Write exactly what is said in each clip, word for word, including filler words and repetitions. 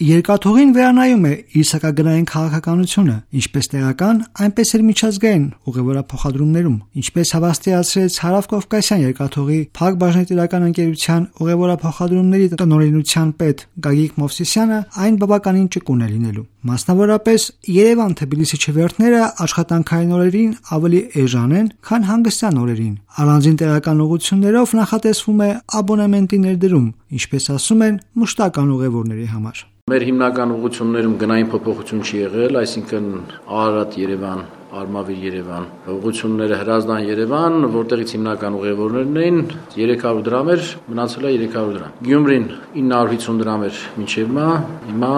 Երկաթուղին վերանայում է իր սակագնային քաղաքականությունը, ինչպես տեղական, այնպես էլ միջազգային ուղևորափոխադրումներում, ինչպես հավաստիացրեց Հարավկովկասյան երկաթուղի Փակ բաժնետիրական ընկերության ուղևորափոխադրումների տնօրինության պետ Գագիկ Մովսիսյանը, այն բավականին ճկուն է լինելու։ Մասնավորապես, Երևան-Թբիլիսի չվերթները աշխատանքային օրերին ավելի էժան են, քան հանգստյան օրերին։ Առանձին տեղական ուղղություններով նախատեսվում է աբոնեմենտի ներդրում, ինչպես ասում են, մշտական ուղևորների համար։ Մեր հիմնական ուղղություններում գնային փոփոխություն չի եղել, այսինքն Արարատ-Երևան, Արմավիր-Երևան, ուղղությունները Հրազդան-Երևան, որտեղից հիմնական ուղևորներն էին, երեք հարյուր դրամ էր, մնացել է երեք հարյուր դրամ։ Գյումրին ինը հարյուր հիսուն դրամ էր մինչև հիմա, հիմա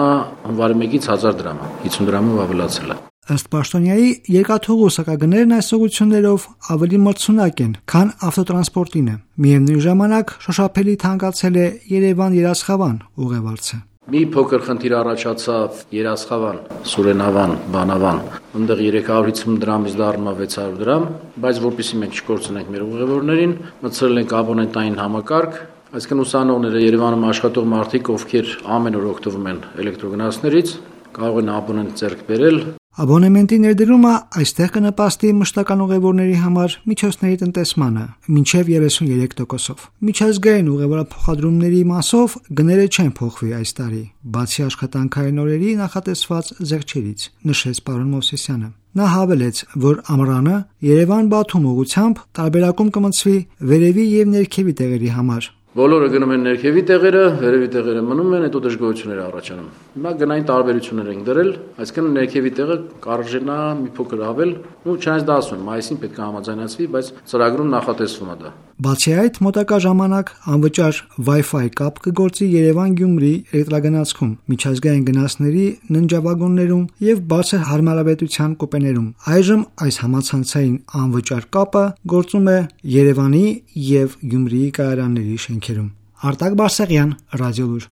հունվարի մեկից հազար դրամ է, հիսուն դրամով ավելացել է։ Ըստ պաշտոնյայի, երկաթուղու սակագներն այս ուղղություններով ավելի մրցունակ են, քան ավտոտրանսպորտինը։ Միևնույն ժամանակ շոշափելի թանկացել է Երևան-Երասխավան ուղևորցը։ Մի փոքր խնդիր առաջացավ Երասխավան, Սուրենավան, Բանավան, այնտեղ երեք հարյուր հիսուն դրամից դառնում է վեց հարյուր դրամ, բայց որpեսզի մենք չկորցնենք մեր ուղևորներին, մտցրել ենք աբոնենտային համակարգ, այսինքն ուսանողները Երևանում աշխատող մարդիկ, ովքեր ամեն օր օգտվում են էլեկտրոգնացներից, կարող են աբոնենտ ձեռք բերել։ Աբոնեմենտի ներդրումը այստեղ կնպաստի մշտական ուղևորների համար միջոցների տնտեսմանը մինչև երեսուններեք տոկոսով։ Միջազգային ուղևորափոխադրումների մասով գները չեն փոխվի այս տարի, բացի աշխատանքային օրերի նախատեսված զեղչերից, նշեց պարոն Մովսիսյանը։ Նա հավելեց, որ ամռանը Երևան-Բաթում ուղղությամբ տարբերակում կմտցվի վերևի եւ ներքևի տեղերի համար։ Բոլորը գնում են ներքևի տեղերը, վերևի տեղերը մնում են, հետո դժգոհություններ առաջանում։ Հիմա գնային տարբերություններ ենք դրել, այսինքն ներքևի տեղը կարժենա մի փոքր ավել, ու չնայած դա ասում եմ, մայիսին պետք է համաձայնացվի, բայց ծրագրում նախատեսվում է դա։ Բացի այդ, մոտակա ժամանակ անվճար Wi-Fi կապ կգործի Երևան-Գյումրի էլեկտրագնացքում, միջազգային գնացների ննջավագոններում եւ բարձր հարմարավետության կուպեներում։ Այժմ այս համացանցային անվճար կապը գործում է Երևանի եւ Գյումրիի կայարանների շենքերում։ Արտակ Բարսեղյան, Ռադիոլուր։